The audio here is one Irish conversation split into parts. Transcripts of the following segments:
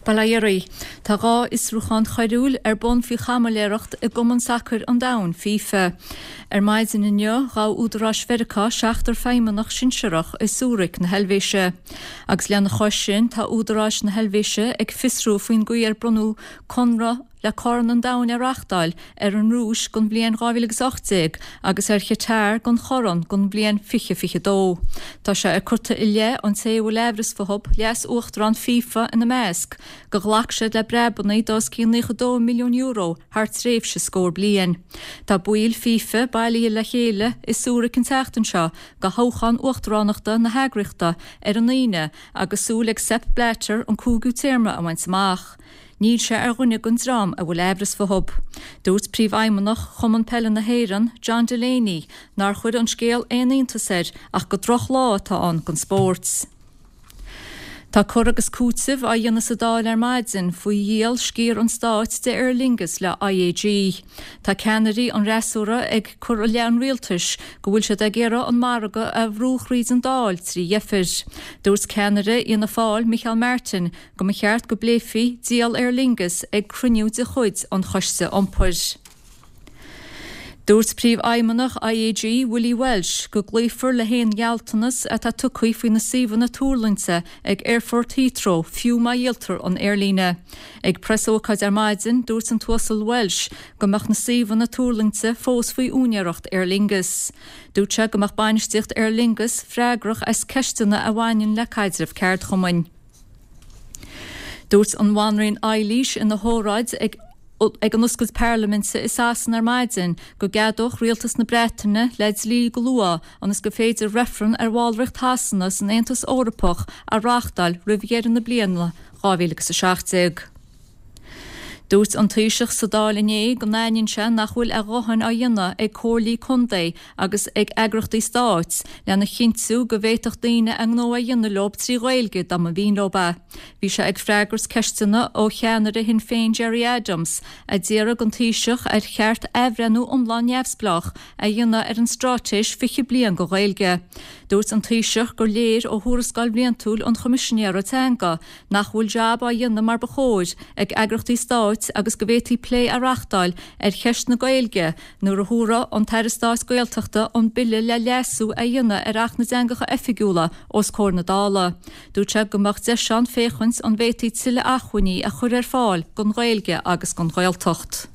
Bail ó Dhia oraibh. Tá 2 fhiosrúchán choiriúil ar bun faoi chaimiléireacht i gCumann Sacair an Domhain, FIFA. Ar maidin inniu, ghabh údaráis Mheiriceá seachtar feidhmeannach sinsearach i Zurich na hEilvéise. Agus lena chois sin, tá údaráis na hEilvéise ag fiosrú faoin gcaoi ar bronnadh conradh le Corn an Domhain a reachtáil ar an Rúis don bhliain 2018 agus ar Chatar don chorn don bhliain 2022. Tá sé curtha i leith an té a bhfuil aimhreas fúthu, leas-uachtarán FIFA ina measc, gur ghlac siad le breabanna d'os cionn €92 milliún thar tréimhse scór bliain. Tá baill FIFA bailithe le chéile i Zurich an tseachtain seo do thoghchán uachtaránachta na heagraíochta ar an Aoine agus súil ag Sepp Blatter an cúigiú téarma a bhaint amach. Níl sé ar dhuine den dream a bhfuil aimhreas fúthu. Dúirt Príomhfheidhmeannach Chumann Peile na hÉireann, John Delaney, nár chuir an scéal aon iontas air ach gur drochlá atá ann don spórt. Tá cur agus cúiteamh á dhéanamh sa Dáil ar maidin faoi dhíol sciar an stáit de Aer Lingus le IAG. Tá ceannairí an fhreasúra ag cur i leith an rialtais go bhfuil siad ag iarraidh an margadh a bhrú thríd an Dáil trí dheifir. Dúirt ceannaire Fhianna Fáil, Micheál Martin, go mba cheart go bpléifí díol Aer Lingus ag cruinniú de chuid an Choiste Iompair. Dúirt Príomhfheidhmeannach IAG, Willie Walsh, go gcloífear le haon ghealltanas atá tugtha faoi na suíomhanna tuarlaingte ag Aerfort Heathrow fiú má dhíoltar an aerlíne. Ag preasócáid ar maidin, dúirt an tUasal Walsh go mbeadh na suíomhanna tuarlaingte fós faoi úinéireacht Aer Lingus. Dúirt sé go mbeadh bainistíocht Aer Lingus freagrach as ceisteanna a bhaineann le caidreamh ceardchumainn. Dúirt an Bhanríon Eilís ina hóráid ag ag an oscailt parlaiminte i Sasana ar maidin go gceadódh rialtas na Breataine le dlí go luath ionas gur féidir reifreann ar bhallraíocht Shasana san Aontas Eorpach a reáchtáil roimh dheireadh na bliana 2017. Dúirt an Taoiseach sa Dáil inné go n-aithníonn sé nach bhfuil a dhóthain á dhéanamh ag comhairlí contae agus ag eagraíochtaí stáit lena chinntiú go bhféadfadh daoine a ngnó a dhéanamh leo trí Ghaeilge dá mba mhian leo é. Bhí sé ag freagairt ceisteanna ó cheannaire Shinn Féin Gerry Adams a d'iarraidh den Taoiseach ar cheart athbhreithniú iomlán neamhspleách a dhéanamh ar an Straitéis 20 Bliain don Ghaeilge. Dúirt an Taoiseach gur léir ó thuarascáil bhliantúil an Choimisinéara Teanga nach bhfuil jab á dhéanamh mar ba chóir ag eagraíochtaí stáit agus go bhféadfaí plé a reachtáil ar cheist na Gaeilge nuair a thabharfaidh an tAire Stáit Gaeltachta an bille le leasú a dhéanamh ar Acht na dTeangacha Oifigiúla os comhair na Dála. Dúirt sé go mbeadh deis ann féachaint an bhféadfaí tuilleadh acmhainní a chur ar fáil don Ghaeilge agus don Ghaeltacht.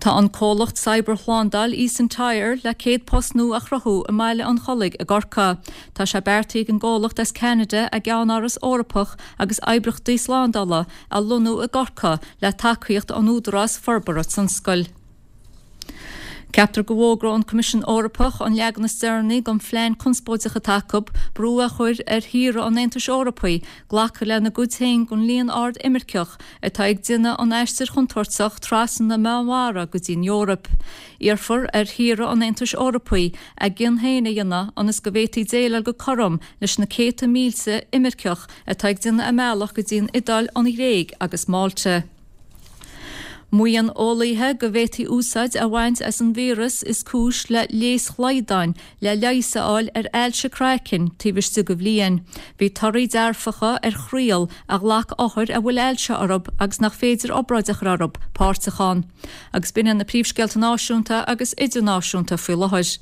Tá an comhlacht cybershlándáil eSentire le 100 post nua a chruthú i mBaile an Chollaigh i gCorcaigh. Tá sé beartaithe ag an gcomhlacht as Ceanada a gceannáras Eorpach agus oibríochtaí slándála a lonnú i gCorcaigh le tacaíocht ón Údarás Forbartha Tionscail. Ceaptar go bhfógróidh an Coimisiún Eorpach an leagan is deireanaí den phlean conspóideach atá acu brú a chur ar thíortha an Aontais Eorpaigh glacadh lena gcuid féin den líon ard imirceach atá ag déanamh an aistir chontúirteach trasna na Meánmhara go dtí an Eoraip. Iarrfar ar thíortha an Aontais Eorpaigh a gcion féin a dhéanamh ionas go bhféadfaí déileáil go cothrom leis na céadta mílte imirceach atá ag déanamh a mbealach go dtí an Iodáil, an Ghréig agus Málta. Maíonn eolaithe go bhféadfaí úsáid a bhaint as an víreas is cúis le léas shlaghdáin le leigheas a fháil ar ailse craicinn taobh istigh de bhliain. Bhí torthaí dearfacha ar thriail a ghlac othair a bhfuil ailse orthu agus nach féidir obráid a chur orthu, páirteach ann. Agus b'in iad na príomhscéalta náisiúnta agus idirnáisiúnta faoi láthair.